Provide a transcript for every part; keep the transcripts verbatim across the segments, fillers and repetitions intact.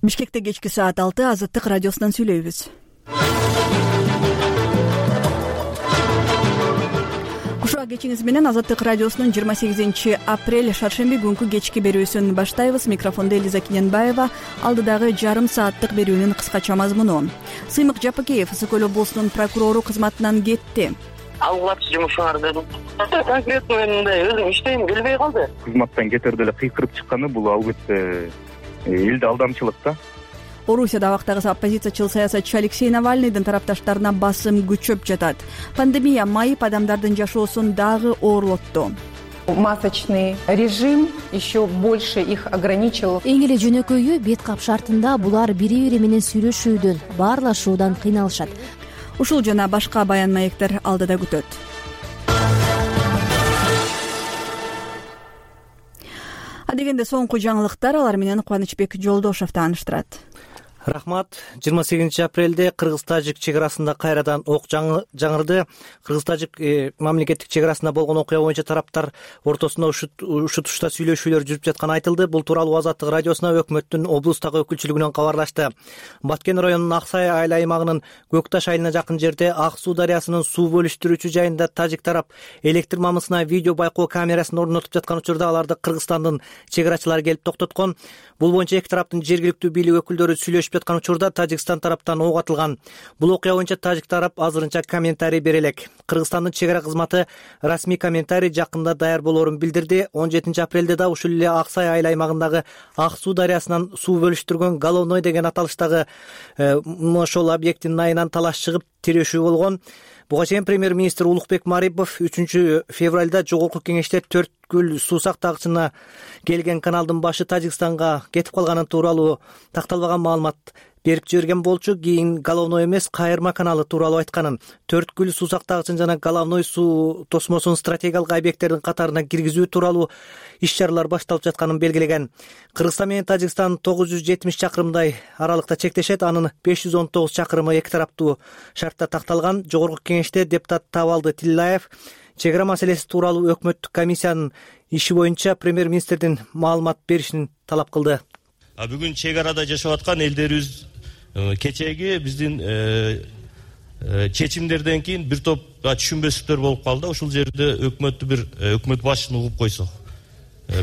Бишкекте кечки саат алты Азаттык радиосунан сүйлөйбүз. Кушуа кечиңиз менен Азаттык радиосунун жыйырма сегизинчи апрель шаршемби күнкү кечки берүүсүн баштайбыз. Микрофондо Элиза Кененбаева. Алдыдагы жарым сааттык берүүнүн кыскача мазмуну. Сыймык Жапакеев Ысык Көл облусунун прокурору кызматынан кетти. Алгачкы жумушуңар дедим. Конкретно мен мындай өзүм иштейм келбей калды. Кызматтан кетерде эле кыйкырып чыкканы бул албетте элди алдамчылык да. Орусияда абактагы оппозициячыл саясатчы Алексей Навальныйдын тарапташтарына басым күчөп жатат. Пандемия майып адамдардын жашоосун дагы оорлотту. Масочный режим еще больше их ограничил. Эң эле жөнөкөйү бет кап шартында булар бири-бири менен сүйлөшүүдөн, баарлашуудан кыйналышат. Ушул жана башка баян маектер алдыда күтөт. Адегенде соңку жаңылыктар, алар менен Кубанычбек Жолдошов тааныштырат. Рахмат. жыйырма сегизинчи апрелде кыргыз-тажик чек арасында кайрадан ок жаңырды. Кыргыз-тажик мамлекеттик чек арасында болгон окуя боюнча тараптар ортосунда ушутушта сүйлөшүүлөр жүрүп жатканы айтылды. Бул тууралуу Азаттык радиосуна өкмөттүн облустагы өкүлчүлүгүнөн кабарлашты. Баткен районунун Аксай айыл аймагынын Көкташ айылына жакын жерде Ак суу дарыясынын суу бөлүштүрүүчү жайында тажик тарап электр мамысына видео байкоо камерасын орнотуп жаткан учурда аларды Кыргызстандын чек арачылары келип токтоткон. Бул боюнча эки тараптын жергиликтүү бийлик өкүлдөрү сүйлөшүп жаткан учурда Тажикстан тараптан ок атылган. Бул окуя боюнча тажик тарап азырынча комментарий бере элек. Кыргызстандын чек ара кызматы расмий комментарий жакында даяр болоорун билдирди. он жетинчи апрелде да ушул эле Аксай айыл аймагындагы Ак суу дарыясынан суу бөлүштүргөн Головной деген аталыштагы ошол объекттин айынан талаш чыгып тирешүү болгон. Буга чейин премьер-министр Улукбек Марипов үчүнчү февралда жогорку кеңеште Төрткүл суу сактагычына келген каналдын башы Тажикстанга кетип калганы тууралуу такталбаган маалымат берип жиберген болчу. Кийин Головной эмес, Кайырма каналы тууралуу айтканын, Төрткүл суу сактагычын жана Головной суу тосмосун стратегиялык объекттердин катарына киргизүү тууралуу иш-чаралар башталып жатканын белгилеген. Кыргызстан менен Тажикстан тогуз жүз жетимиш чакырымдай аралыкта чектешет. Анын беш жүз он тогуз чакырымы эки тараптуу шартта такталган. Жогорку кеңеште депутат Табалды Тиллаев чек ара маселеси тууралуу өкмөттүк комиссиянын иши боюнча премьер-министрдин маалымат беришин талап кылды. Бүгүн чек арада жашап аткан элдерибиз кечеги биздин чечимдерден кийин бир топ түшүнбөстүктөр болуп калды. Ушул жерде өкмөттү бир өкмөт башчыны угуп койсок.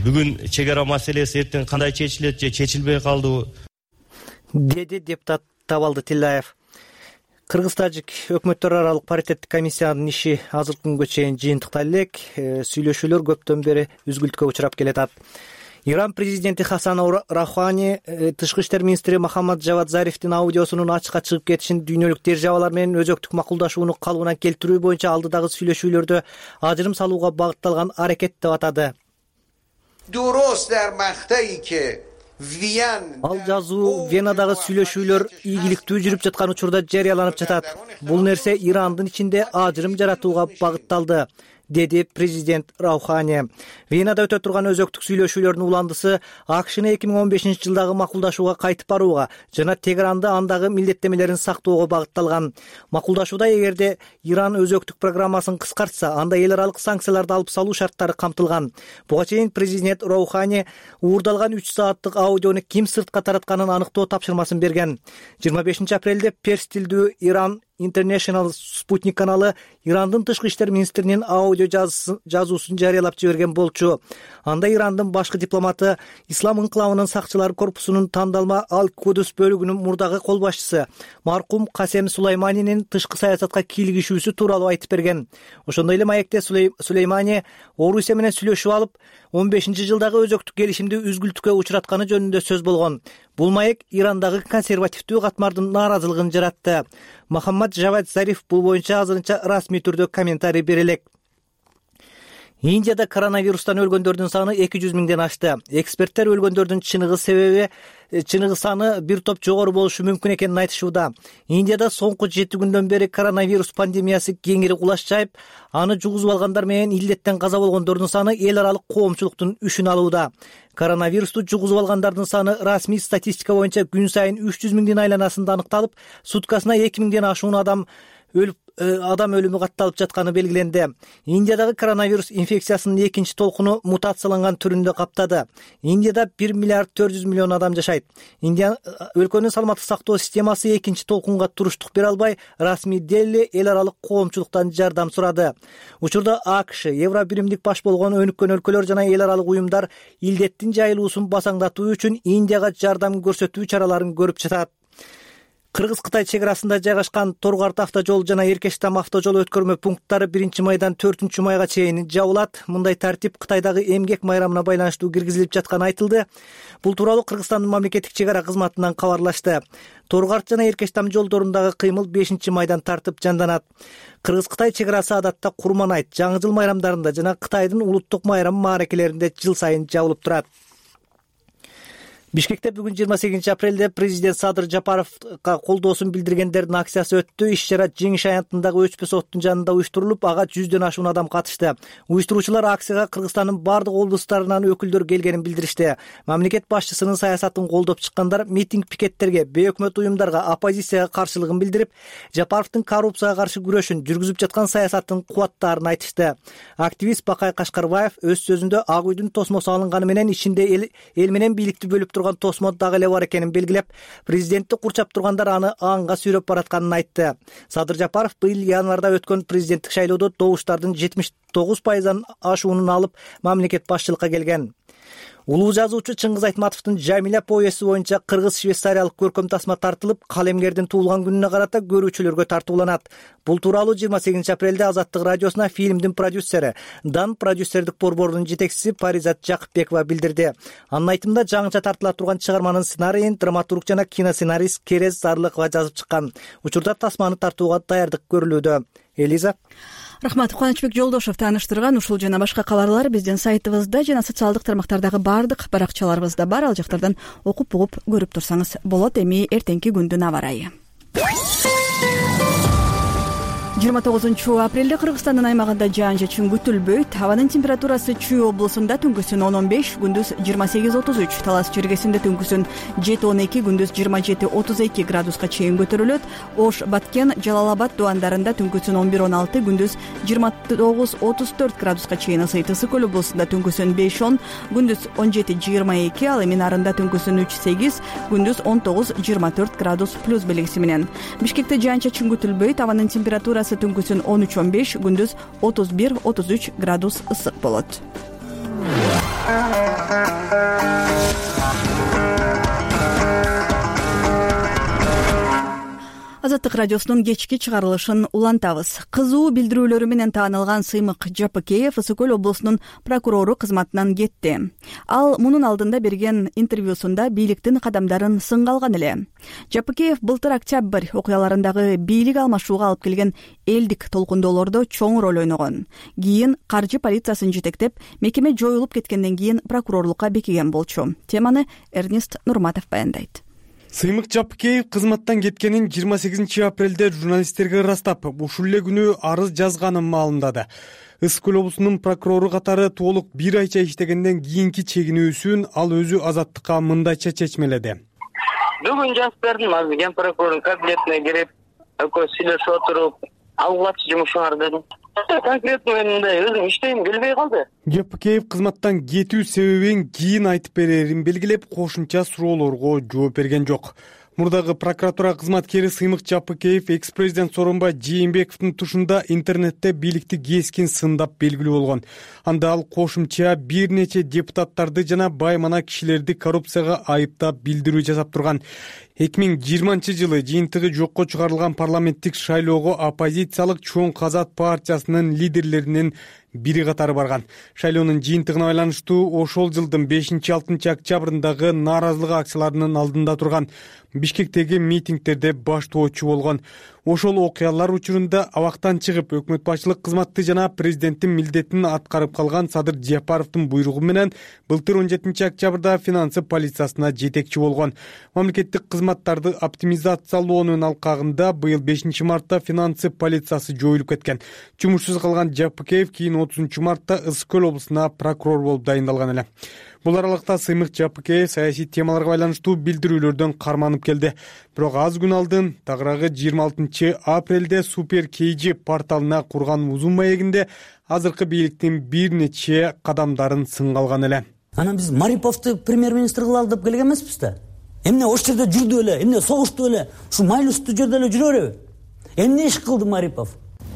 Бүгүн чек ара маселеси эртең кандай чечилет же чечилбей калдыбы? Деди депутат Табалды Тиллаев. Кыргыз-тажик өкмөттөр аралык паритеттик комиссиянын иши азыркы күнгө чейин жыйынтыкталып элек. Сүйлөшүүлөр көптөн бери үзгүлтүккө учурап келатат. Иран президенти Хасан Рахани тышкы иштер министри Мохаммад Жавад Зарифтин аудиосунун ачыкка чыгып кетишин дүйнөлүк державалар менен өзөктүк макулдашууну калыбына келтирүү боюнча алдыдагы сүйлөшүүлөрдө ажырым салууга багытталган аракет деп атады. Ал жазуу Венадагы сүйлөшүүлөр ийгиликтүү жүрүп жаткан учурда жарыяланып жатат. Бул нерсе Ирандын ичинде ажырым жаратууга багытталды, деди президент Раухани. Венада өтө турган өзөктүк сүйлөшүүлөрдүн уландысы АКШны эки миң он бешинчи жылдагы макулдашууга кайтып барууга жана Тегеранды андагы милдеттемелерин сактоого багытталган. Макулдашууда эгерде Иран өзөктүк программасын кыскартса, анда эл аралык санкцияларды алып салуу шарттары камтылган. Буга чейин президент Раухани уурдалган үч сааттык аудиону ким сыртка таратканын аныктоо тапшырмасын берген. жыйырма бешинчи апрелде перс тилдүү Иран International Спутник каналы Ирандын тышкы иштер министринин аудио жазуусун жарыялап жиберген болчу. Анда Ирандын башкы дипломаты Ислам инкылабынын сакчылар корпусунун тандалма Ал-Кудус бөлүгүнүн мурдагы кол башчысы маркум Касем Сулайманинин тышкы саясатка кийлигишүүсү тууралуу айтып берген. Ошондой эле маекте Сулеймани Орусия менен сүйлөшүп алып, он бешинчи жылдагы өзөктүк келишимди үзгүлтүккө учуратканы жөнүндө сөз болгон. Бул маек Ирандагы консервативдүү катмардын нааразылыгын жаратты. Мохаммад Жавад Зариф бул боюнча азырынча расмий түрдө комментарий бере элек. Индияда коронавирустан өлгөндөрдүн саны эки жүз миңден ашты. Эксперттер өлгөндөрдүн чыныгы себеби чыныгы саны бир топ жогору болушу мүмкүн экенин айтышууда. Индияда соңку жети күндөн бери коронавирус пандемиясы кеңири кулаш жайып, аны жугузуп алгандар менен илдеттен каза болгондордун саны эл аралык коомчулуктун үшүн алууда. Коронавирусту жугузуп алгандардын саны расмий статистика боюнча күн сайын үч жүз миңдин айланасында аныкталып, суткасына эки миңден ашуун адам өлүп адам өлүмү катталып жатканы белгиленди. Индиядагы коронавирус инфекциясынын экинчи толкуну мутацияланган түрүндө каптады. Индияда бир миллиард төрт жүз миллион адам жашайт. Индия өлкөнүн саламаттык сактоо системасы экинчи толкунга туруштук бере албай, расмий Дели эл аралык коомчулуктан жардам сурады. Учурда АКШ, Евробиримдик баш болгон өнүккөн өлкөлөр жана эл аралык уюмдар илдеттин жайылуусун басаңдатуу үчүн Индияга жардам көрсөтүү чараларын көрүп жатат. Кыргыз-Кытай чек арасында жайгашкан Торгарт автожол жана Эркештам автожол өткөрмө пункттары биринчи майдан төртүнчү майга чейин жабылат. Мындай тартип Кытайдагы эмгек майрамына байланыштуу киргизилип жатканы айтылды. Бул тууралуу Кыргызстандын мамлекеттик чек ара кызматынан кабарлашты. Торгарт жана Эркештам жолдорундагы кыймыл бешинчи майдан тартып жанданат. Кыргыз-Кытай чек арасы адатта Курманайт, Жаңы жыл майрамдарында жана Кытайдын улуттук майрам мааракелеринде жыл сайын жабылып турат. Бишкекте бүгүн жыйырма сегизинчи апрелде президент Садыр Жапаровго колдоосун билдиргендердин акциясы өттү. Иш-чара Жеңиш аянтындагы Өчпө соттун жанында уюштурулуп, ага жүздөн ашуун адам катышты. Уюштуруучулар акцияга Кыргызстандын бардык облустарынан өкүлдөр келгенин билдиришти. Мамлекет башчысынын саясатын колдоп чыккандар митинг-пикеттерге, бейөкмөт уюмдарга, оппозицияга каршылыгын билдирип, Жапаровдун коррупцияга каршы күрөшүн, жүргүзүп жаткан саясаттын кубаттаарын айтышты. Активист Бакай Кашкарбаев өз сөзүндө Ак үйдүн тосмосу алынганы менен ичинде эл, эл менен бийликти бөлүп турган тосмо дагы эле бар экенин белгилеп, президентти курчап тургандар аны аңга сүйрөп баратканын айтты. Садыр Жапаров быйыл январда өткөн президенттик шайлоодо добуштардын жетимиш тогуз пайыздан ашуунун алып, мамлекет башчылыкка келген. Улуу жазуучу Чыңгыз Айтматовдун Жамиля повести боюнча кыргыз-швейцариялык көркөм тасма тартылып, калемгердин туулган күнүнө карата көрүүчүлөргө тартууланат. Бул тууралуу жыйырма сегизинчи апрелде Азаттык радиосуна фильмдин продюсери, Дан продюсердик борборунун жетекчиси Паризат Жакыпбекова билдирди. Анын айтымында жаңыча тартыла турган чыгарманын сценарийин драматург жана киносценарист Керез Зарлыкова жазып чыккан. Учурда тасманы тартууга даярдык көрүлүүдө. Элиза. Рахмат. Кубанычбек Жолдошев тааныштырган ушул жана башка кабарлар биздин сайтыбызда жана социалдык тармактардагы бардык баракчаларыбызда бар. Ал жактардан окуп угуп көрүп турсаңыз болот. Эми эртеңки күндүн аба ырайы. жыйырма тогузунчу апрелде Кыргызстандын аймагында жаан-жашын күтүлбөйт. Абанын температурасы Чүй облусунда түнкүсүн он он беш, күндүз жыйырма сегиз отуз үч, Талас жергесинде түнкүсүн жети он эки, күндүз жыйырма жети отуз эки градуска чейин көтөрүлөт. Ош, Баткен, Жалал-Абад дубандарында түнкүсүн он бир он алты, күндүз жыйырма тогуз отуз төрт градуска чейин ысыйт. Ысык көл облусунда түнкүсүн беш он, күндүз он жети жыйырма эки, ал эми Нарында түнкүсүн үч сегиз, күндүз он тогуз жыйырма төрт градус плюс белгиси менен. Бишкекте жаан-чачын күтүлбөйт. Абанын температурасы түнкүсүн он үч он беш, күндүз отуз бир отуз үч градус ысык болот. Азаттык радиосунун кечки чыгарылышын улантабыз. Кызуу билдирүүлөрү менен таанылган Сыймык Жапыкеев Ысык көл облусунун прокурору кызматынан кетти. Ал мунун алдында берген интервьюсунда бийликтин кадамдарын сынга алган эле. Жапыкеев былтыр октябрь окуяларындагы бийлик алмашууга алып келген элдик толкундоолордо чоң роль ойногон. Кийин каржы полициясын жетектеп, мекеме жоюлуп кеткенден кийин прокурорлукка бекиген болчу. Теманы Эрнест Нурматов баяндайт. Сыймык Жапыкеев кызматтан кеткенин жыйырма сегизинчи апрелде журналисттерге ырастап, ушул эле күнү арыз жазганын маалымдады. Ысык көл облусунун прокурору катары толук бир айча иштегенден кийинки чегинүүсүн ал өзү Азаттыкка мындайча чечмеледи. Бүгүн жазып бердим, азыр ген прокурордун кабинетине кирип, экөөбүз сүйлөшүп отуруп, алгылачы жумушуңар дедим. Конкретно мен мындай өзүм иштейм келбей калды. Жапыкеев кызматтан кетүү себебин кийин айтып берерин белгилеп, кошумча суроолорго жооп берген жок. Мурдагы прокуратура кызматкери Сыймык Жапыкеев экс-президент Сооронбай Жээнбековдун тушунда интернетте бийликти кескин сындап белгилүү болгон. Анда ал кошумча бир нече депутаттарды жана баймана кишилерди коррупцияга айыптап билдирүү жасап турган. эки миң жыйырманчы жылы жыйынтыгы жокко чыгарылган парламенттик шайлоого оппозициялык Чоң Казат партиясынын лидерлеринин бири катары барган. Шайлоонун жыйынтыгына байланыштуу ошол жылдын бешинчи алтынчы октябрындагы нааразылык акцияларынын алдында турган, Бишкектеги митингтерде баштоочу болгон. Ошол окуялар учурунда абактан чыгып, өкмөт башчылык кызматты жана президенттин милдетин аткарып калган Садыр Жапаровдун буйругу менен былтыр он жетинчи октябрда финансы полициясына жетекчи болгон. Мамлекеттик кызматтарды оптимизациялоонун алкагында быйыл бешинчи мартта финансы полициясы жоюлуп кеткен. Жумушсуз калган Жапыкеев кийин отузунчу мартта Ысык көл облусуна прокурор болуп дайындалган эле. Бул аралыкта Сыймык Жапыкеев саясий темаларга байланыштуу билдирүүлөрдөн карманып келди. Бирок аз күн алдын тагыраагы жыйырма алтынчы апрелде Супер Кейжи порталына курган узун маегинде азыркы бийликтин бир нече кадамдарын сынга алган эле. Анан биз Мариповду премьер-министр кылалы деп келген эмеспиз да. Эмне ош жерде жүрдү эле, эмне согушту эле, ушу майлыстуу жерде эле жүрө береби? Эмне иш кылды Марипов?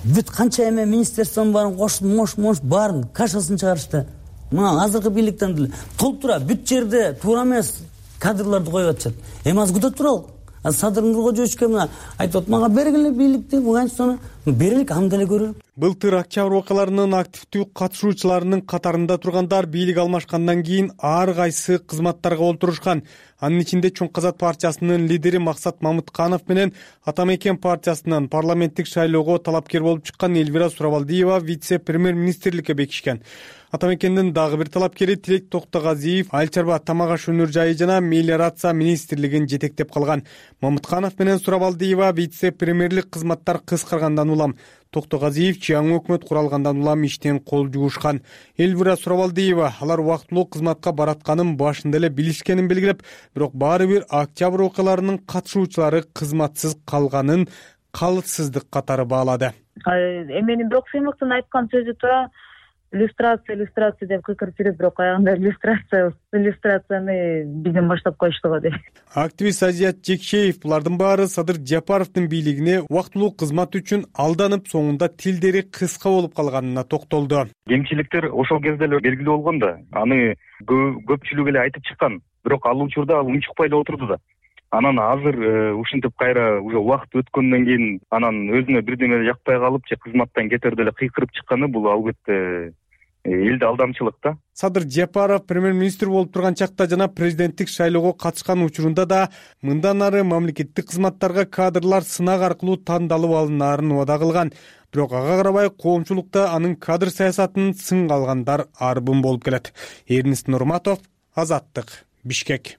Бүт канча эме министерствонун баарын кошту, мош-мош баарын кашасын чыгарышты. Мына азыркы бийликтен деле толтура бүт жерде туура эмес кадрларды коюп атышат. Эми аз күтө туралы. Садыр Нуркожоевичке мына айтып атат, мага бергиле бийликти, Афганистаны берелик, анда эле көрөлүк. Былтыр октябрь окуяларынын активдүү катышуучуларынын катарында тургандар бийлик алмашкандан кийин ар кайсы кызматтарга олтурушкан. Анын ичинде Чоң Казак партиясынын лидери Максат Мамытканов менен Атамекен партиясынын парламенттик шайлоого талапкер болуп чыккан Эльвира Сурабалдиева вице-премьер-министрликке бекишкен. Атамекендин дагы бир талапкери Тилек Токтогазиев Айыл чарба тамак аш өнөр жайы жана мелиорация министрлигин жетектеп калган. Мамытканов менен Сурабалдиева вице-премьерлик кызматтар кыскаргандан улам, Токтогазиев жаңы өкмөт куралгандан улам иштен кол жугушкан. Эльвира Сурабалдиева алар убактылуу кызматка баратканын башында эле билишкенин белгилеп, бирок баары бир октябрь окуяларынын катышуучулары кызматсыз калганын калытсыздык катары баалады. Эменин бирок Сыймыктын айткан сөзү туура. Иллюстрация, иллюстрация деп кыйкырып жүрүп, бирок аягында иллюстрация, иллюстрацияны бизден баштап коюшту го деп. Активист Азият Жекшеев булардын баары Садыр Жапаровдун бийлигине убактылуу кызмат үчүн алданып, соңунда тилдери кыска болуп калганына токтолду. Кемчиликтер ошол кезде эле белгилүү болгон да, аны көпчүлүк эле айтып чыккан, бирок ал учурда ал унчукпай эле отурду да. Анан азыр ушинтип кайра уже убакыт өткөндөн кийин анан өзүнө бирдеме жакпай калып же кызматтан кетерде эле кыйкырып чыкканы бул албетте элди алдамчылык да. Садыр Жапаров премьер-министр болуп турган чакта жана президенттик шайлоого катышкан учурунда да мындан ары мамлекеттик кызматтарга кадрлар сынак аркылуу тандалып алынаарын убада кылган. Бирок ага карабай коомчулукта анын кадр саясатын сынга алгандар арбын болуп келет. Эрнис Нурматов, Азаттык, Бишкек.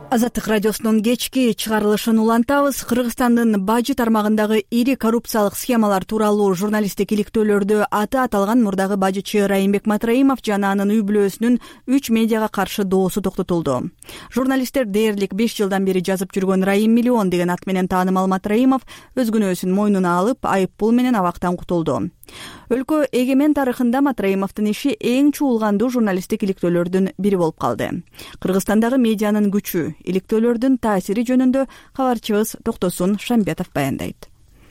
Азаттык радиосунун кечки чыгарылышын улантабыз. Кыргызстандын бажы тармагындагы ири коррупциялык схемалар тууралуу журналисттик иликтөөлөрдө аты аталган мурдагы бажычы Райымбек Матраимов жана анын үй бүлөсүнүн үч медиага каршы доосу токтотулду. Журналисттер дээрлик беш жылдан бери жазып жүргөн Райым миллион деген ат менен таанымал Матраимов өз күнөөсүн мойнуна алып, айып пул менен абактан кутулду. Өлкө эгемен тарыхында Матраимовдун иши эң чуулгандуу журналисттик иликтөөлөрдүн бири болуп калды. Кыргызстандагы медианын күчү, иликтөөлөрдүн таасири жөнүндө кабарчыбыз Токтосун Шамбетов баяндайт.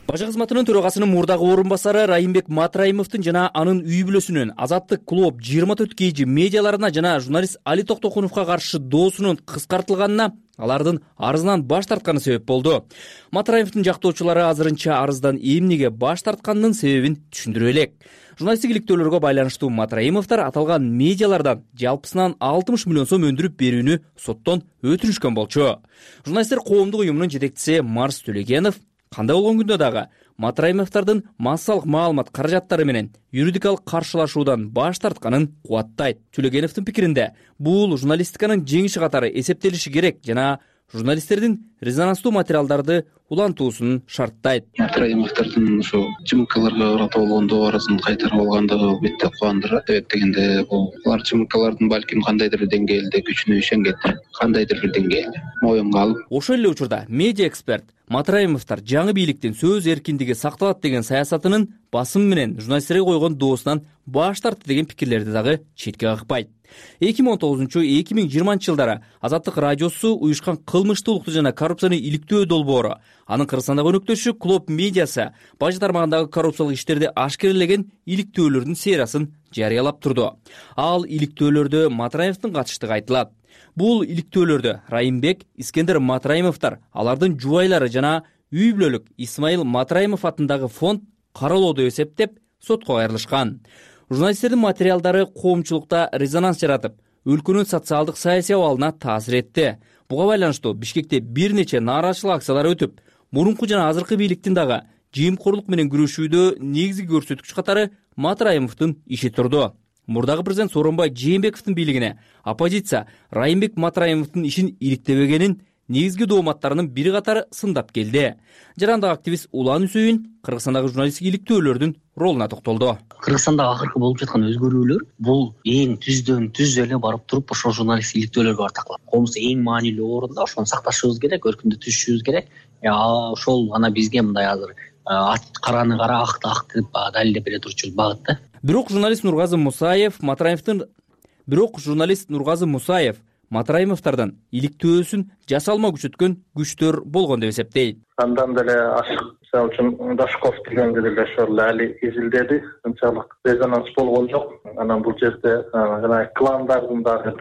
Бажы кызматынын төрагасынын мурдагы орун басары Райымбек Матраимовдун жана анын үй бүлөсүнүн Азаттык клуб жыйырма төрт кейжи медиаларына жана журналист Али Токтокуновго каршы доосунун кыскартылганына алардын арызынан баш тартканы себеп болду. Матраимовдун жактоочулары азырынча арыздан эмнеге баш тартканынын себебин түшүндүрө элек. Журналисттик иликтөөлөргө байланыштуу Матраимовдор аталган медиалардан жалпысынан алтымыш миллион сом өндүрүп берүүнү соттон өтүнүшкөн болчу. Журналисттер коомдук уюмунун жетекчиси Марс Төлегенов кандай болгон күндө дагы Матраимовдордун массалык маалымат каражаттары менен юридикалык каршылашуудан баш тартканын кубаттайт. Төлегеновдун пикиринде бул журналистиканын жеңиши катары эсептелиши керек жана журналисттердин резонанстуу материалдарды улантуусун шарттайт. Матраимовдордун ушу ЖМКларга карата болгон добарысын кайтарып алгандыгы албетте кубандырат. Себеп дегенде бул алар ЖМКлардын балким кандайдыр бир деңгээлде күчүнө ишенгет, кандайдыр бир деңгээлде моюнга алып. Ошол эле учурда медиа эксперт Матраимовдор жаңы бийликтин сөз эркиндиги сакталат деген саясатынын басым менен журналисттерге койгон доосунан баш тартты деген пикирлерди дагы четке какпайт. эки миң он тогузунчу — эки миң жыйырманчы жылдары Азаттык радиосу уюшкан кылмыштуулукту жана коррупцияны иликтөө долбоору, анын Кыргызстандагы өнөктөшү Клуб медиасы бажы тармагындагы коррупциялык иштерди ашкерелеген иликтөөлөрдүн сериясын жарыялап турду. Ал иликтөөлөрдө Матраимовдун катыштыгы айтылат. Бул иликтөөлөрдө Райымбек, Искендер Матраимовдор, алардын жубайлары жана үй бүлөлүк Исмаил Матраимов атындагы фонд каралоодо эсептеп сотко кайрылышкан. Журналисттердин материалдары коомчулукта резонанс жаратып, өлкөнүн социалдык саясий абалына таасир этти. Буга байланыштуу Бишкекте бир нече нааразычылык акциялары өтүп, мурунку жана азыркы бийликтин дагы жыйымкорлук менен күрөшүүдө негизги көрсөткүч катары Матраимовдун иши турду. Мурдагы президент Сооронбай Жээнбековдун бийлигине оппозиция Райымбек Матраимовдун ишин иликтебегенин негизги дооматтарынын бири катары сындап келди. Жарандагы активист Улан Үсөйүн Кыргызстандагы журналисттик иликтөөлөрдүн ролуна токтолду. Кыргызстанда акыркы болуп жаткан өзгөрүүлөр бул эң түздөн түз эле барып туруп ошол журналисттик иликтөөлөргө артакла. Коомдун эң маанилүү орунда ошону сакташыбыз керек, өркүндү түзүшүбүз керек. Ошол ана бизге мындай азыр караны кара, акты ак деп далилдеп бере турчу багыт да. Бирок журналист Нургазы Мусаев Матраимовдун бирок журналист Нургазы Мусаев Матраимовдордон иликтөөсүн жасалма күчөткөн күчтөр болгон деп эсептейт. Андан деле ашык, мисалы үчүн Дашков дегенде деле ошол али изилдеди, анчалык резонанс болгон жок. Анан бул жерде жана кландардын дагы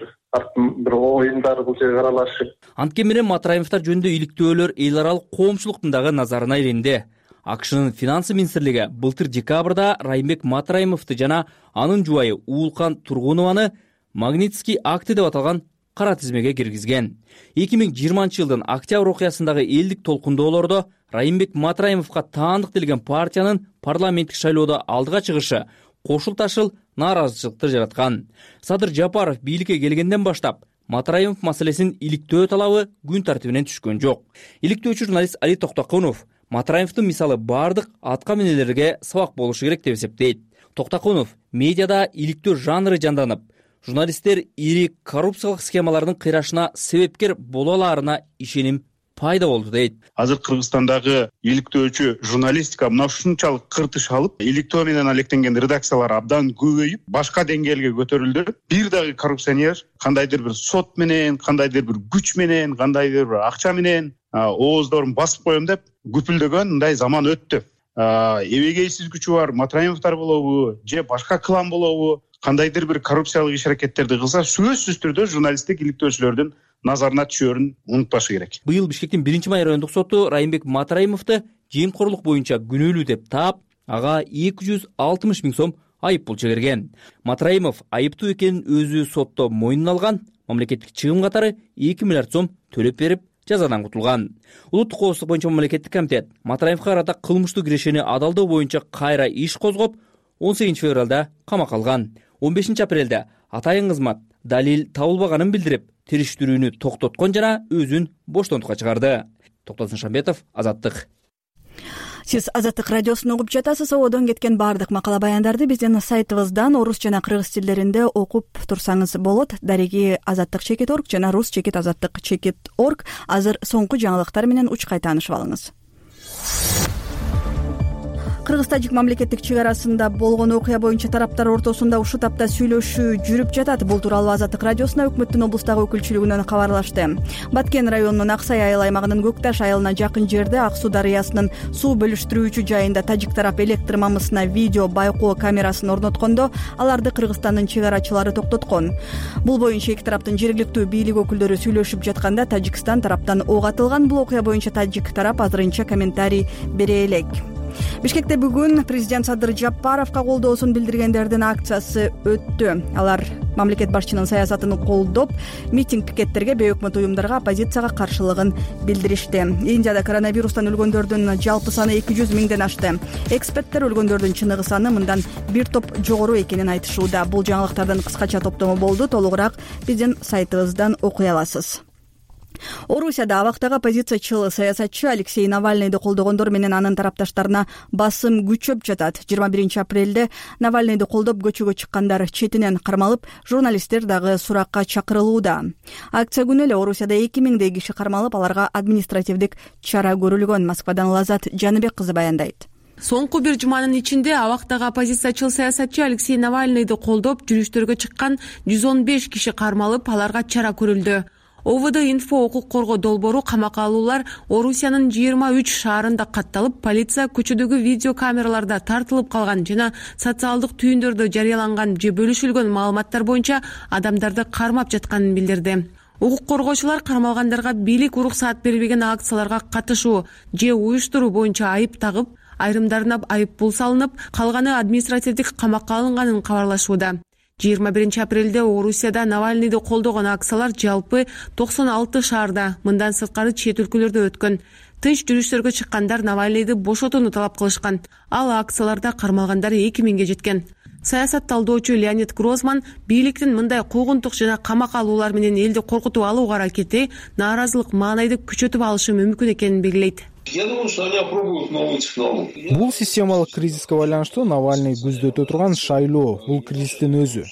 бир оюндары бул жерге аралашып. Анткени менен Матраимовдор жөнүндө иликтөөлөр эл аралык коомчулуктун дагы назарына илинди. АКШнын финансы министрлиги былтыр декабрда Райымбек Матраимовду жана анын жубайы Уулкан Тургунованы Магнитский акты деп аталган кара тизмеге киргизген. эки миң жыйырманчы жылдын октябрь окуясындагы элдик толкундоолордо Райымбек Матраимовго таандык делген партиянын парламенттик шайлоодо алдыга чыгышы кошул ташыл нааразычылыкты жараткан. Садыр Жапаров бийликке келгенден баштап Матраимов маселесин иликтөө талабы күн тартибинен түшкөн жок. Иликтөөчү журналист Али Токтокунов Матраимовдун мисалы бардык атка минелерге сабак болушу керек деп эсептейт. Токтокунов медиада иликтөө жанры жанданып, журналисттер ири коррупциялык схемалардын кыйрашына себепкер боло аларына ишеним пайда болду дейт. Азыр Кыргызстандагы иликтөөчү журналистика мына ушунчалык кыртыш алып, иликтөө менен алектенген редакциялар абдан көбөйүп, башка деңгээлге көтөрүлдү. Бир дагы коррупционер кандайдыр бир сот менен, кандайдыр бир күч менен, кандайдыр бир акча менен ооздорун басып коем деп күпүлдөгөн мындай заман өттү. Эбегейсиз күчү бар Матраимовдор болобу, же башка клан болобу, кандайдыр бир коррупциялык иш-аракеттерди кылса, сөзсүз түрдө журналисттик иликтөөчүлөрдүн назарына түшөрүн унутпашы керек. Быйыл Бишкектин биринчи май райондук соту Райымбек Матраимовду жемкорлук боюнча күнөөлүү деп таап, ага эки жүз алтымыш миң сом айып пул чегерген. Матраимов айыптуу экенин өзү сотто мойнуна алган, мамлекеттик чыгым катары эки миллиард сом төлөп берип, жазадан кутулган. Улуттук коопсуздук боюнча мамлекеттик комитет Матраимовго карата кылмыштуу кирешени адалдоо боюнча кайра иш козгоп, он сегизинчи февралда камакка алган. он бешинчи апрелде атайын кызмат далил табылбаганын билдирип, териштирүүнү токтоткон жана өзүн боштонтукка чыгарды. Токтосун Шамбетов, Азаттык. Сиз Азаттык радиосун угуп жатасыз. Одон кеткен бардык макала баяндарды биздин сайтыбыздан орус жана кыргыз тилдеринде окуп турсаңыз болот. Дареги азаттык чекит орг жана рус чекит азаттык чекит орг. Азыр соңку жаңылыктар менен учкай таанышып алыңыз. Кыргыз-Тажик мамлекеттик чек арасында болгон окуя боюнча тараптар ортосунда ушул тапта сүйлөшүү жүрүп жатат. Бул тууралуу Азаттык радиосуна өкмөттүн облустагы өкүлчүлүгүнөн кабарлашты. Баткен районунун Аксай айыл аймагынын Көкташ айылына жакын жерде Ак суу дарыясынын суу бөлүштүрүүчү жайында тажик тарап электр мамысына видео байкоо камерасын орноткондо, аларды Кыргызстандын чек арачылары токтоткон. Бул боюнча эки тараптын жергиликтүү бийлик өкүлдөрү сүйлөшүп жатканда Тажикстан тараптан ок атылган. Бул окуя боюнча тажик тарап азырынча комментарий бере элек. Бишкекте бүгүн президент Садыр Жапаровго колдоосун билдиргендердин акциясы өттү. Алар мамлекет башчынын саясатын колдоп, митинг пикеттерге бейөкмөт уюмдарга оппозицияга каршылыгын билдиришти. Индияда коронавирустан өлгөндөрдүн жалпы саны эки жүз миңден ашты. Эксперттер өлгөндөрдүн чыныгы саны мындан бир топ жогору экенин айтышууда. Бул жаңылыктардын кыскача топтому болду. Толугураак биздин сайтыбыздан окуй аласыз. Орусияда абактагы оппозициячыл саясатчы Алексей Навальныйды колдогондор менен анын тарапташтарына басым күчөп жатат. жыйырма биринчи апрелде Навальныйды колдоп көчөгө чыккандар четинен кармалып, журналисттер дагы суракка чакырылууда. Акция күнү эле Орусияда эки миңдей киши кармалып, аларга административдик чара көрүлгөн. Москвадан Лазат Жаныбек кызы баяндайт. Соңку бир жуманын ичинде абактагы оппозициячыл саясатчы Алексей Навальныйды колдоп жүрүштөргө чыккан жүз он беш киши кармалып, аларга чара көрүлдү. ОВД инфо укук коргоо долбоору камакка алуулар Орусиянын жыйырма үч шаарында катталып, полиция көчөдөгү видео камераларда тартылып калган жана социалдык түйүндөрдө жарыяланган же бөлүшүлгөн маалыматтар боюнча адамдарды кармап жатканын билдирди. Укук коргоочулар кармалгандарга бийлик уруксаат бербеген акцияларга катышуу же уюштуруу боюнча айып тагып, айрымдарына айып пул салынып, калганы административдик камакка алынганын кабарлашууда. жыйырма биринчи апрелде Орусияда Навальныйды колдогон акциялар жалпы токсон алты шаарда, мындан сырткары чет өлкөлөрдө өткөн. Тынч жүрүштөргө чыккандар Навальныйды бошотууну талап кылышкан. Ал акцияларда кармалгандар эки миңге жеткен. Саясат талдоочу Леонид Грозман бийликтин мындай куугунтук жана камак алуулар менен элди коркутуп алуу аракети нааразылык маанайды күчөтүп алышы мүмкүн экенин белгилейт. Я думаю, что они опробуют новые технологии. Бул системалык кризиске байланыштуу Навальный көздөтө турган шайлоо, бул кризистин өзү.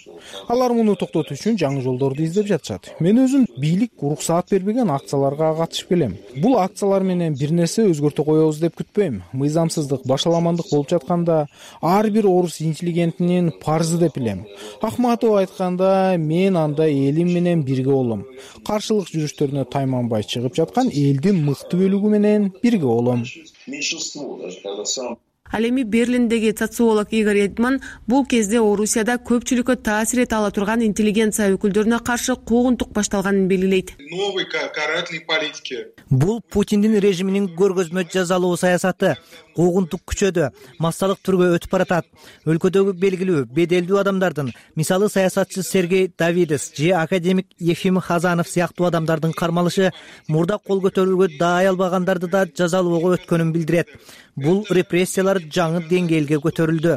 Алар муну токтотуу үчүн жаңы жолдорду издеп жатышат. Мен өзүм бийлик уруксаат бербеген акцияларга катышып келем. Бул акциялар менен бир нерсе өзгөртө коебуз деп күтпөйм. Мыйзамсыздык, башаламандык болуп жатканда ар бир орус интеллигентинин парзы деп билем. Ахматов айтканда, мен анда элим менен бирге болом. Каршылык жүрүштөрүнө тайманбай чыгып жаткан элдин мыкты бөлүгү менен бирге болом. Меньшинство, даже когда сам Ал эми Берлиндеги социолог Игорь Эдман бул кезде Орусияда көпчүлүккө таасир эте ала турган интеллигенция өкүлдөрүнө каршы куугунтук башталганын белгилейт. Новой карательной политики. Бул Путиндин режиминин көргөзмө жазалоо саясаты. Куугунтук күчөдө, массалык түргө өтүп баратат. Өлкөдөгү белгилүү, беделдүү адамдардын, мисалы саясатчы Сергей Давидес же академик Ефим Хазанов сыяктуу адамдардын кармалышы мурда кол көтөрүүгө даай албагандарды да жазалоого өткөнүн билдирет. Бул репрессиялар жаңы деңгээлге көтөрүлдү.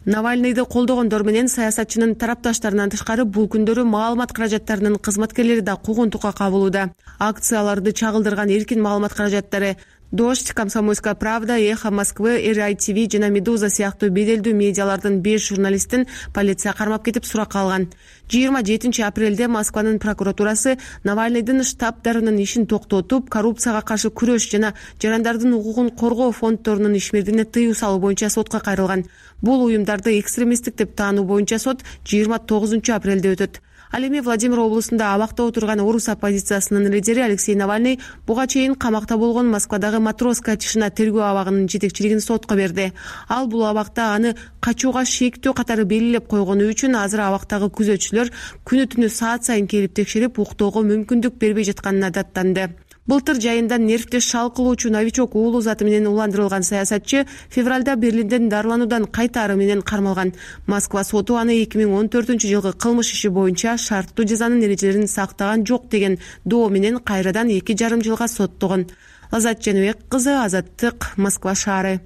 Навальныйды колдогондор менен саясатчынын тарапташтарынан тышкары бул күндөрү маалымат каражаттарынын кызматкерлери да куугунтукка кабылууда. Акцияларды чагылдырган эркин маалымат каражаттары Дождь, Комсомольская правда, Эхо Москвы, эр ай ти ви жана Медуза сыяктуу беделдүү медиалардын беш журналистин полиция кармап кетип суракка алган. жыйырма жетинчи апрелде Москванын прокуратурасы Навальныйдын штабдарынын ишин токтотуп, коррупцияга каршы күрөш жана жарандардын укугун коргоо фонддорунун ишмердигине тыюу салуу боюнча сотко кайрылган. Бул уюмдарды экстремисттик деп таануу боюнча сот жыйырма тогузунчу апрелде өтөт. Ал эми Владимир облусунда абакта отурган орус оппозициясынын лидери Алексей Навальный буга чейин камакта болгон Москвадагы Матросская тишина тергөө абагынын жетекчилигин сотко берди. Ал бул абакта аны качууга шектөө катары белгилеп койгону үчүн азыр абактагы күзөтчүлөр күнү түнү саат сайын келип текшерип уктоого мүмкүндүк бербей жатканына даттанды. Былтыр жайында нервде шал кылуучу новичок уулу заты менен уландырылган саясатчы февралда Берлинден дарылануудан кайтаары менен кармалган. Москва соту аны эки миң он төртүнчү жылкы кылмыш иши боюнча шарттуу жазанын эрежелерин сактаган жок деген доо менен кайрадан эки жарым жылга соттогон. Лазат Женебек кызы, Азаттык, Москва шаары.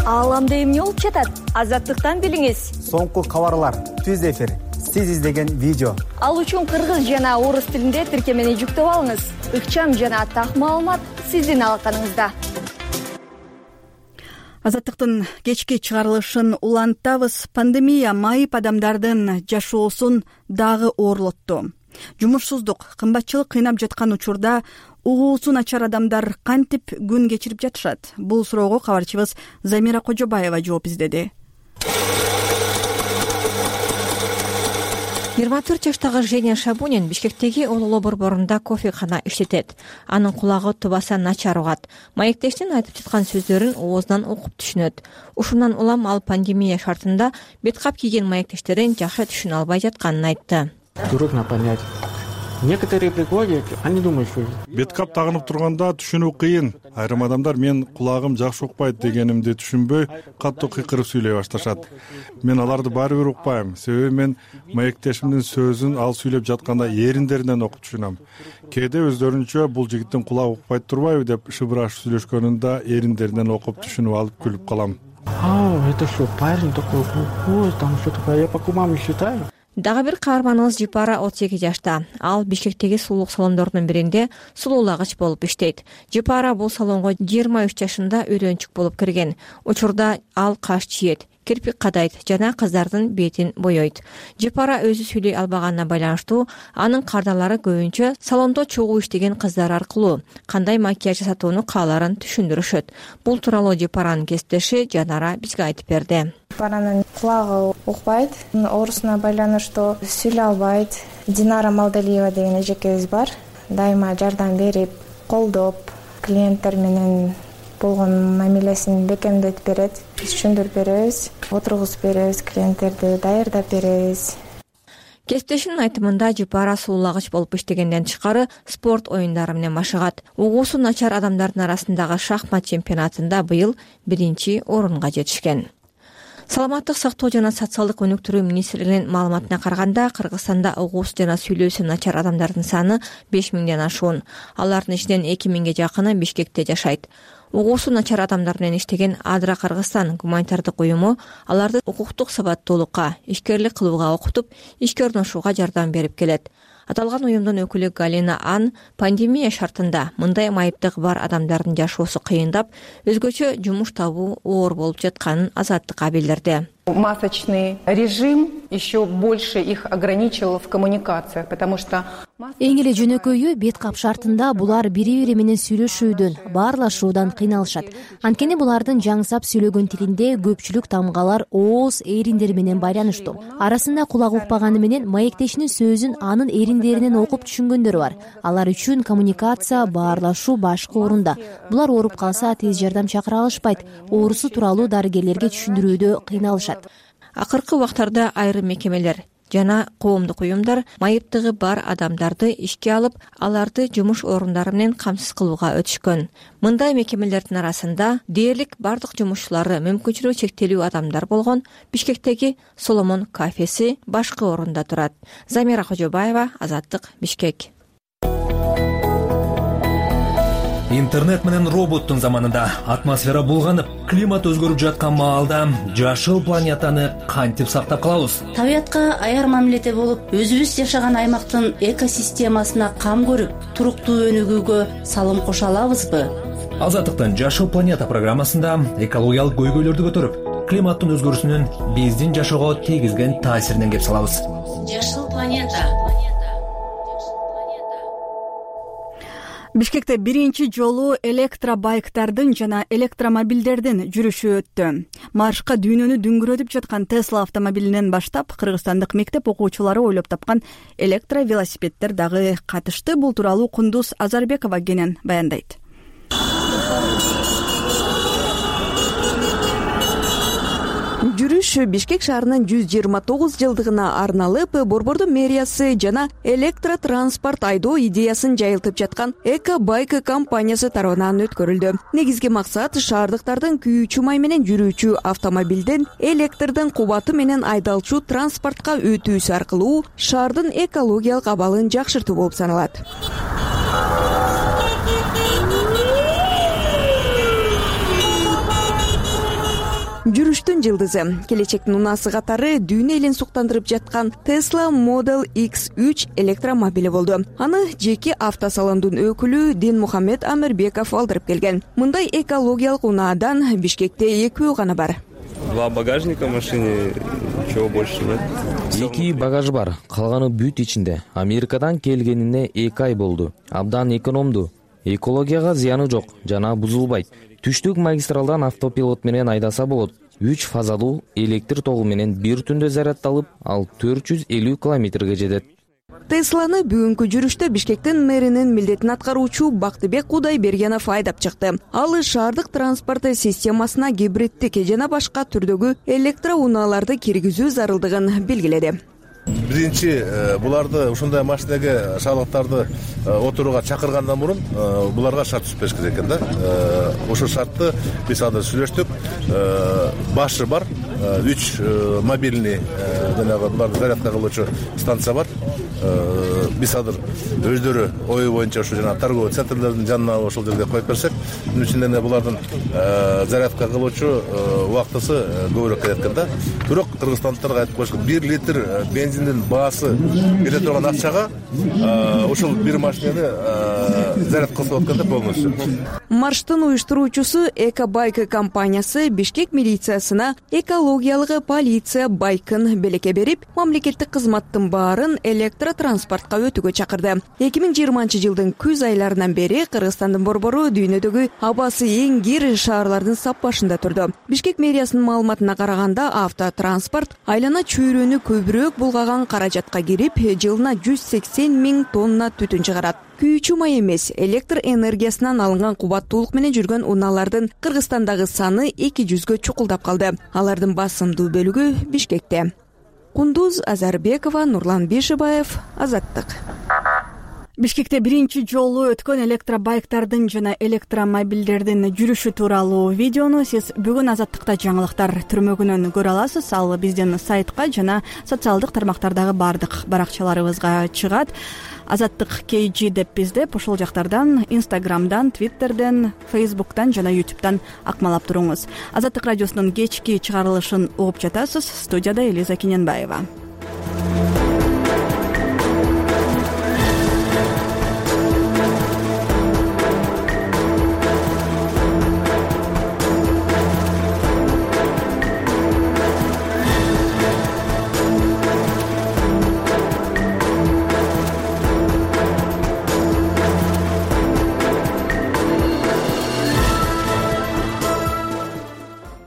Ааламда эмне болуп жатат? Азаттыктан билиңиз. Соңку кабарлар, түз эфир, сиз издеген видео. Ал үчүн кыргыз жана орус тилинде тиркемени жүктөп алыңыз. Ыкчам жана так маалымат сиздин алаканыңызда. Азаттыктын кечки чыгарылышын улантабыз. Пандемия майып адамдардын жашоосун дагы оорлотту. Жумушсуздук, кымбатчылык кыйнап жаткан учурда угуусу начар адамдар кантип күн кечирип жатышат? Бул суроого кабарчыбыз Замира Кожобаева жооп издеди. жыйырма төрт жаштагы Женя Шабунин Бишкектеги Ололо борборунда кофекана иштетет. Анын кулагы тубаса начар угат. Маектештин айтып жаткан сөздөрүн оозунан окуп түшүнөт. Ушундан улам ал пандемия шартында бет кап кийген маектештерин жакшы түшүнө албай жатканын айтты. Трудно понять. Некоторые приходят, они думают, что беткап тагынып турганда түшүнүү кыйын. Айрым адамдар мен кулагым жакшы укпайт дегенимди түшүнбөй, катуу кыйкырып сүйлөй башташат. Мен аларды баары бир укпайм. Себеби мен маектешимдин сөзүн ал сүйлөп жатканда эриндеринен окуп түшүнөм. Кээде өздөрүнчө бул жигиттин кулагы укпайт турбайбы деп шыбырашып сүйлөшкөнүндө эриндеринен окуп түшүнүп алып күлүп калам. А, это что, парень такой глухой, там что такое, я по кумам считаю. Дагы бир каарманыбыз Жипара отуз эки жашта. Ал Бишкектеги сулуулук салондорунун биринде сулуулагыч болуп иштейт. Жипара бул салонго жыйырма үч жашында үйрөнчүк болуп кирген. Учурда ал каш чиет, кирпик кадайт жана кыздардын бетин бойойт. Жипара өзү сүйлөй албаганына байланыштуу анын кардалары көбүнчө салондо чогуу иштеген кыздар аркылуу кандай макияж жасатууну кааларын түшүндүрүшөт. Бул тууралуу Жипаранын кесиптеши Жанара бизге айтып берди. Жипаранын кулагы укпайт, оорусуна байланыштуу сүйлөй албайт. Динара Малдалиева деген эжекебиз бар. Дайыма жардам берип, колдоп, клиенттер менен болгон мамилесин бекемдетип берет. Биз түшүндүрүп беребиз, отургузуп беребиз, клиенттерди даярдап беребиз. Кесиптешинин айтымында Жипара суулаагыч болуп иштегенден тышкары спорт оюндары менен машыгат. Угуусу начар адамдардын арасындагы шахмат чемпионатында быйыл биринчи орунга жетишкен. Саламаттык сактоо жана социалдык өнүктүрүү министрлигинин маалыматына караганда, Кыргызстанда угуусу жана сүйлөөсү начар адамдардын саны беш миңден ашуун. Алардын ичинен эки миңге жакыны Бишкекте жашайт. угуусу начар адамдар менен иштеген Адра Кыргызстан гуманитардык уюму аларды укуктук сабаттуулукка, ишкерлик кылууга окутуп, ишке орношууга жардам берип келет. Аталган уюмдун өкүлү Галина Ан пандемия шартында мындай майыптыгы бар адамдардын жашоосу кыйындап, өзгөчө жумуш табуу оор болуп жатканын Азаттыкка билдирди. Масочный режим еще больше их ограничил в коммуникациях, потому что эң эле жөнөкөйү бет кап шартында булар бири-бири менен сүйлөшүүдөн, баарлашуудан кыйналышат. Анткени булардын жаңсап сүйлөгөн тилинде көпчүлүк тамгалар ооз эриндери менен байланыштуу. Арасында кулак укпаганы менен маектешинин сөзүн анын эриндеринен окуп түшүнгөндөр бар. Алар үчүн коммуникация, баарлашуу башкы орунда. Булар ооруп калса тез жардам чакыра алышпайт, оорусу тууралуу дарыгерлерге түшүндүрүүдө кыйналышат. Акыркы убактарда айрым мекемелер жана коомдук уюмдар майыптыгы бар адамдарды ишке алып, аларды жумуш орундары менен камсыз кылууга өтүшкөн. Мындай мекемелердин арасында дээрлик бардык жумушчулары мүмкүнчүлүгү чектелүү адамдар болгон Бишкектеги Соломон кафеси башкы орунда турат. Замира Кожобаева, Азаттык, Бишкек. Интернет менен роботтун заманында атмосфера булганып, климат өзгөрүп жаткан маалда жашыл планетаны кантип сактап калабыз? Табиятка аяр мамиледе болуп, өзүбүз жашаган аймактын экосистемасына кам көрүп, туруктуу өнүгүүгө салым кошо алабызбы? Азаттыктын Жашыл планета программасында экологиялык көйгөйлөрдү көтөрүп, климаттын өзгөрүүсүнүн биздин жашоого тийгизген таасиринен кеп салабыз. Жашыл планета. Бишкекте биринчи жолу электробайктардын жана электромобилдердин жүрүшү өттү. Маршка дүйнөнү дүңгүрөтүп жаткан Tesla автомобилинен баштап кыргызстандык мектеп окуучулары ойлоп тапкан электровелосипеддер дагы катышты. Бул тууралуу Кундуз Азарбекова кенен баяндайт. Жүрүш Бишкек шаарынын жүз жыйырма тогуз жылдыгына арналып, Борбордун мэриясы жана электротранспорт айдоо идеясын жайылтып жаткан Эко-байк компаниясы тарабынан өткөрүлдү. Негизги максат шаардыктардын күйүүчү май менен жүрүүчү автомобилден электрдин кубаты менен айдалчу транспортко өтүүсү аркылуу шаардын экологиялык абалын жакшыртуу болуп саналат. Жүрүштүн жылдызы келечектин унаасы катары дүйнө элин суктандырып жаткан Tesla Model X үч электромобили болду. Аны жеке автосалондун өкүлү Дин Мухаммед Амирбеков алдырып келген. Мындай экологиялык унаадан Бишкекте экөө гана бар. Два багажника в машине, ничего больше нет. Эки багаж бар, калганы бүт ичинде. Америкадан келгенине эки ай болду. Абдан экономдуу. Экологияга зыяны жок жана бузулбайт. Түштүк магистралдан автопилот менен айдаса болот. үч фазалуу электр тогу менен бир түндө зарядталып, ал төрт жүз элүү километрге жетет. Тесланы бүгүнкү жүрүштө Бишкектин мэринин милдетин аткаруучу Бактыбек Кудайбергенов айдап чыкты. Ал шаардык транспорт системасына гибриддик жана башка түрдөгү электроунааларды киргизүү зарылдыгын белгиледи. Биринчи буларды ушундай машинеге шаардыктарды отурууга чакыргандан мурун буларга шарт түзүп бериш керек экен да. Ошол шартты биз азыр сүйлөштүк. Башы бар, үч мобильный жанагы буларды зарядка кылуучу станция бар. Биз азыр өздөрү ою боюнча ушу жана торговый центрлердин жанына ошол жерге коюп берсек, мун үчүн эле булардын зарядка кылуучу убактысы көбүрөөк келет экен да. Бирок кыргызстандыктарга айтып коюш, бир литр бензиндин баасы кете турган акчага ошол бир машинени заряд кылса болот экен да полностью. Марштын уюштуруучусу Эко-байк компаниясы Бишкек милициясына экологиялык полиция байкын белекке берип, мамлекеттик кызматтын баарын электротранспортко өтүүгө чакырды. эки миң жыйырманчы жылдын күз айларынан бери Кыргызстандын борбору дүйнөдөгү абасы эң кир шаарлардын саппашында турду. Бишкек мэриясынын маалыматына караганда, автотранспорт айлана чөйрөнү көбүрөөк булгаган каражатка кирип, жылына жүз сексен миң тонна түтүн чыгарат. Күйүүчү май эмес, электр энергиясынан алынган кубаттуулук менен жүргөн унаалардын Кыргызстандагы саны эки жүзгө чукулдап калды. Алардын басымдуу бөлүгү Бишкекте. Кундуз Азарбекова, Нурлан Бишибаев, Азаттык. Бишкекте биринчи жолу өткөн электробайктардын жана электромобилдердин жүрүшү тууралуу видеону сиз бүгүн Азаттыкта жаңылыктар түрмөгүнөн көрө аласыз. Ал биздин сайтка жана социалдык тармактардагы баардык баракчаларыбызга чыгат. Азаттык кей жи деп издеп, ошол жактардан Инстаграмдан, Твиттерден, Фейсбуктан жана Ютубтан акмалап туруңуз. Азаттык радиосунун кечки чыгарылышын угуп жатасыз. Студияда Элиза Кененбаева.